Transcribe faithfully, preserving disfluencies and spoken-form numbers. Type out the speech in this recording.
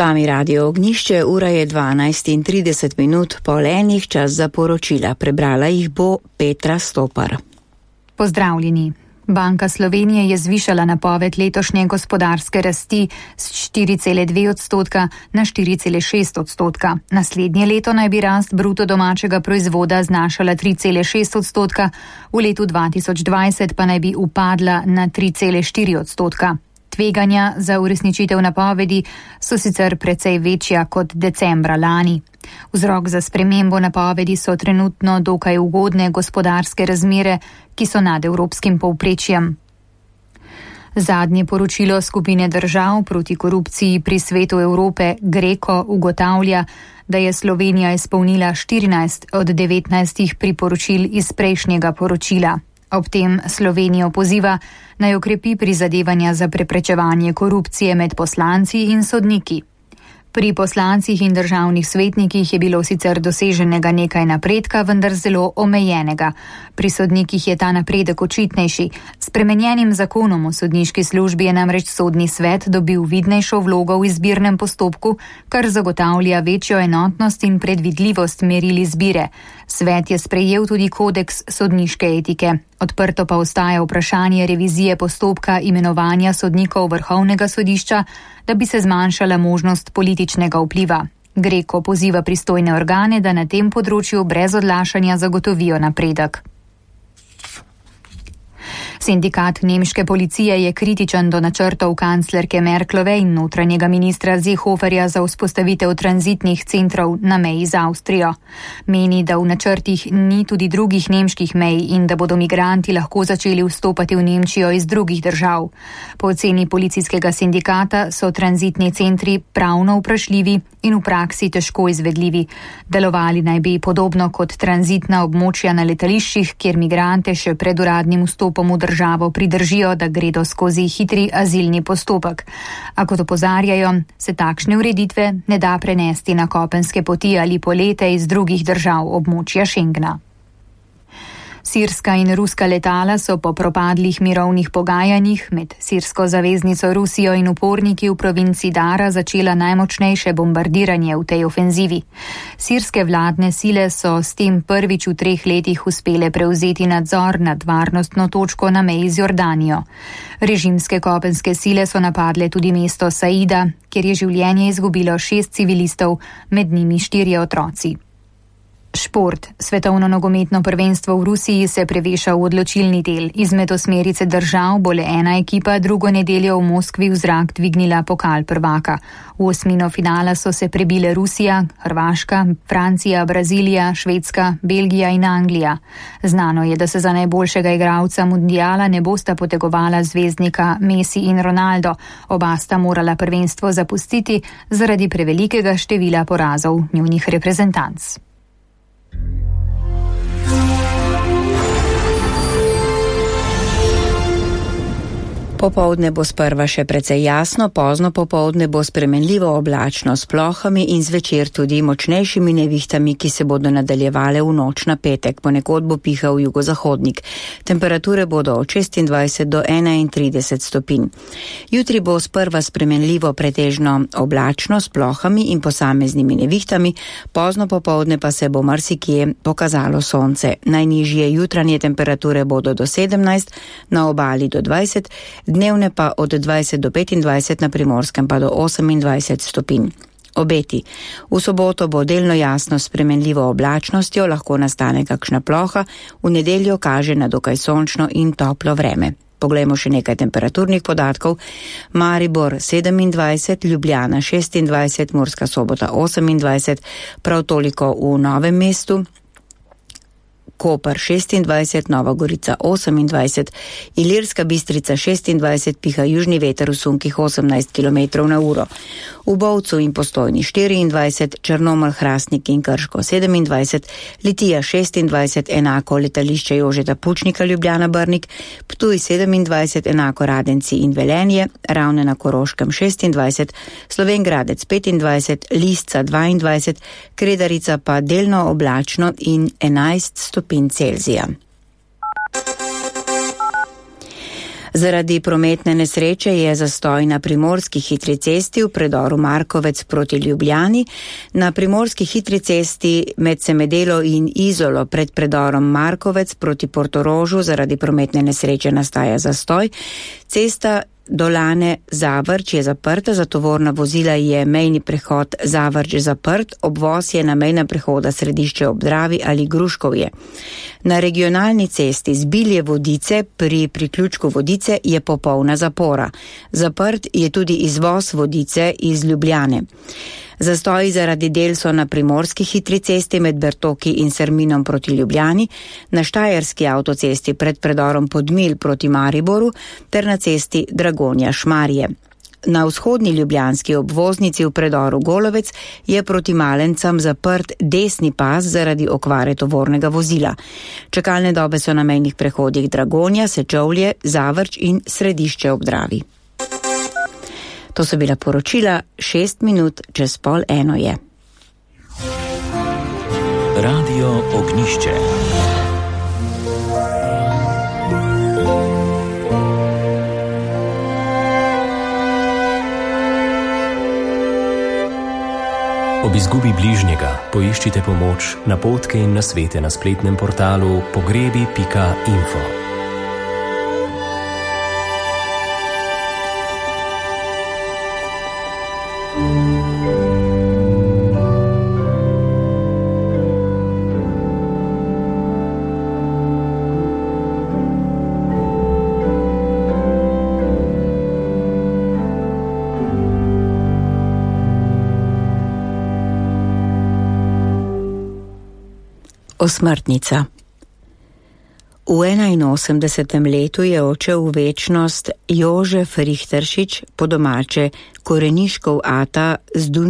Vami Radio Ognjišče, ura je dvanajst in trideset minut po enih, čas za poročila. Prebrala jih bo Petra Stopar. Pozdravljeni. Banka Slovenije je zvišala napoved letošnje gospodarske rasti z štiri cele dve odstotka na štiri cele šest odstotka. Naslednje leto naj bi rast bruto domačega proizvoda znašala tri cele šest odstotka, v letu dva tisoč dvajset pa naj bi upadla na tri cele štiri odstotka. Tveganja za uresničitev napovedi so sicer precej večja kot decembra lani. Vzrok za spremembo napovedi so trenutno dokaj ugodne gospodarske razmere, ki so nad evropskim povprečjem. Zadnje poročilo skupine držav proti korupciji pri Svetu Evrope GRECO ugotavlja, da je Slovenija izpolnila štirinajst od devetnajstih priporočil iz prejšnjega poročila. Ob tem Slovenijo poziva, naj okrepi prizadevanja za preprečevanje korupcije med poslanci in sodniki. Pri poslancih in državnih svetnikih je bilo sicer doseženega nekaj napredka, vendar zelo omejenega. Pri sodnikih je ta napredek očitnejši. S spremenjenim zakonom o sodniški službi je namreč sodni svet dobil vidnejšo vlogo v izbirnem postopku, kar zagotavlja večjo enotnost in predvidljivost meril izbire. Svet je sprejel tudi kodeks sodniške etike. Odprto pa ostaja vprašanje revizije postopka imenovanja sodnikov Vrhovnega sodišča, da bi se zmanjšala možnost političnega vpliva. GRECO poziva pristojne organe, da na tem področju brez odlašanja zagotovijo napredek. Sindikat nemške policije je kritičen do načrtov kanclerke Merklove in notranjega ministra Seehoferja za vzpostavitev tranzitnih centrov na meji z Avstrijo. Meni, da v načrtih ni tudi drugih nemških mej in da bodo migranti lahko začeli vstopati v Nemčijo iz drugih držav. Po oceni policijskega sindikata so tranzitni centri pravno vprašljivi in v praksi težko izvedljivi. Delovali naj bi podobno kot tranzitna območja na letališčih, kjer migrante še pred uradnim vstopom v državo pridržijo, da gredo skozi hitri azilni postopek. A kot opozarjajo, se takšne ureditve ne da prenesti na kopenske poti ali polete iz drugih držav območja Schengna. Sirska in ruska letala so po propadlih mirovnih pogajanjih med sirsko zaveznico Rusijo in uporniki v provinci Dara začela najmočnejše bombardiranje v tej ofenzivi. Sirske vladne sile so s tem prvič v treh letih uspele prevzeti nadzor nad varnostno točko na meji z Jordanijo. Režimske kopenske sile so napadle tudi mesto Saida, kjer je življenje izgubilo šest civilistov, med njimi štirje otroci. Šport. Svetovno nogometno prvenstvo v Rusiji se preveša v odločilni del. Izmed osmerice držav bo le ena ekipa drugo nedeljo v Moskvi v zrak dvignila pokal prvaka. V osmino finala so se prebile Rusija, Hrvaška, Francija, Brazilija, Švedska, Belgija in Anglija. Znano je, da se za najboljšega igralca mundiala ne bosta potegovala zvezdnika Messi in Ronaldo. Oba sta morala prvenstvo zapustiti zaradi prevelikega števila porazov njunih reprezentanc. Popoldne bo sprva še precej jasno, pozno popoldne bo spremenljivo oblačno s plohami in zvečer tudi močnejšimi nevihtami, ki se bodo nadaljevale v noč na petek. Ponekod bo pihal jugozahodnik. Temperature bodo od šestindvajset do enaintrideset stopinj. Jutri bo sprva spremenljivo pretežno oblačno s plohami in posameznimi nevihtami, pozno popoldne pa se bo marsikje pokazalo sonce. Najnižje jutranje temperature bodo do sedemnajst, na obali do dvajset, dnevne pa od dvajset do petindvajset, na Primorskem pa do osemindvajset stopinj. Obeti. V soboto bo delno jasno s spremenljivo oblačnostjo, lahko nastane kakšna ploha, v nedeljo kaže na dokaj sončno in toplo vreme. Poglejmo še nekaj temperaturnih podatkov. Maribor sedemindvajset, Ljubljana šestindvajset, Murska Sobota osemindvajset, prav toliko v Novem mestu, Koper šestindvajset, Nova Gorica osemindvajset, Ilirska Bistrica šestindvajset, piha južni veter v sunkih osemnajst kilometrov na uro. V Bovcu in Postojni štiriindvajset, Črnomelj, Hrastnik in Krško sedemindvajset, Litija šestindvajset, enako letališče Jožeta Pučnika Ljubljana Brnik, Ptuj sedemindvajset, enako Radenci in Velenje, Ravne na Koroškem šestindvajset, Slovenj Gradec petindvajset, Lisca dvaindvajset, Kredarica pa delno oblačno in enajst stopinj Celzija. Zaradi prometne nesreče je zastoj na primorski hitri cesti v predoru Markovec proti Ljubljani, na primorski hitri cesti med Semedelo in Izolo pred predorom Markovec proti Portorožu zaradi prometne nesreče nastaja zastoj. Cesta Dolane Zavrč je zaprta, za tovorna vozila je mejni prehod Zavrč zaprt, obvoz je na mejna prehoda Središče ob Dravi ali Gruškovje. Na regionalni cesti z Bilje Vodice pri priključku Vodice je popolna zapora. Zaprt je tudi izvoz Vodice iz Ljubljane. Zastoji zaradi del so na primorski hitri cesti med Bertoki in Serminom proti Ljubljani, na štajerski avtocesti pred predorom Podmilj proti Mariboru ter na cesti Dragonja Šmarje. Na vzhodni ljubljanski obvoznici v predoru Golovec je proti Malencam zaprt desni pas zaradi okvare tovornega vozila. Čakalne dobe so na mejnih prehodih Dragonja, Sečovlje, Zavrč in Središče ob Dravi. To so bila poročila, šest minut čez pol eno je. Radio Ognjišče. Ob izgubi bližnjega poiščite pomoč, napotke in nasvete na spletnem portalu pogrebi pika info. Osmrtnica. V enainosemdesetem letu je odšel v večnost Jožef Richteršič, po domače Koreniškov ata z Dunaj.